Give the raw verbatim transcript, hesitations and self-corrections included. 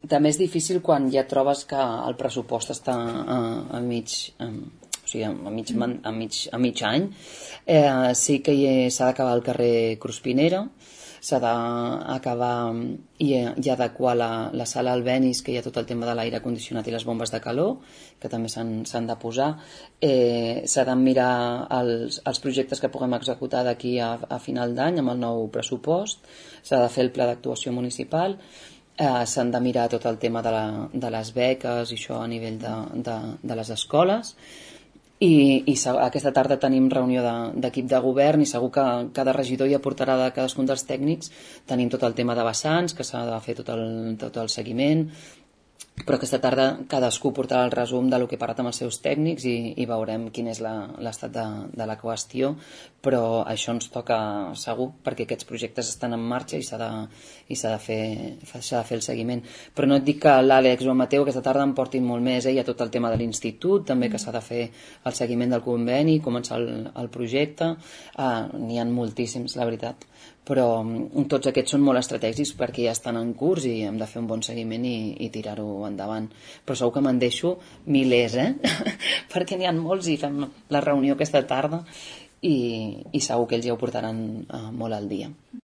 també és difícil quan ja trobes que el pressupost està a, a mig... A, o sigui, a mig, a mig, a mig any. Eh, sí que s'ha d'acabar el carrer Cruspinera, s'ha d'acabar i, i adequar la, la sala Albéniz, que hi ha tot el tema de l'aire condicionat i les bombes de calor, que també s'han de posar. Eh, s'ha de mirar els, els projectes que puguem executar d'aquí a, a final d'any amb el nou pressupost, s'ha de fer el pla d'actuació municipal, eh, s'han de mirar tot el tema de, la, de les beques i això a nivell de, de, de les escoles. I, i aquesta tarda tenim reunió d'equip de, de govern i segur que cada regidor hi aportarà de cadascun dels tècnics. Tenim tot el tema de vessants, que s'ha de fer tot el, tot el seguiment, però aquesta tarda cadascú portarà el resum del que ha parlat amb els seus tècnics i, i veurem quin és l'estat de, de la qüestió, però això ens toca segur perquè aquests projectes estan en marxa i s'ha de, i s'ha de, fer, s'ha de fer el seguiment. Però no et dic que l'Àlex o el Mateu aquesta tarda en portin molt més, eh? Hi ha tot el tema de l'institut, també que s'ha de fer el seguiment del conveni, començar el, el projecte, ah, n'hi ha moltíssims, la veritat, però tots aquests són molt estratègics perquè ja estan en curs i hem de fer un bon seguiment i, i tirar-ho endavant. Però segur que me'n deixo milers, eh? perquè n'hi ha molts i fem la reunió aquesta tarda i, i segur que ells ja ho portaran uh, molt al dia.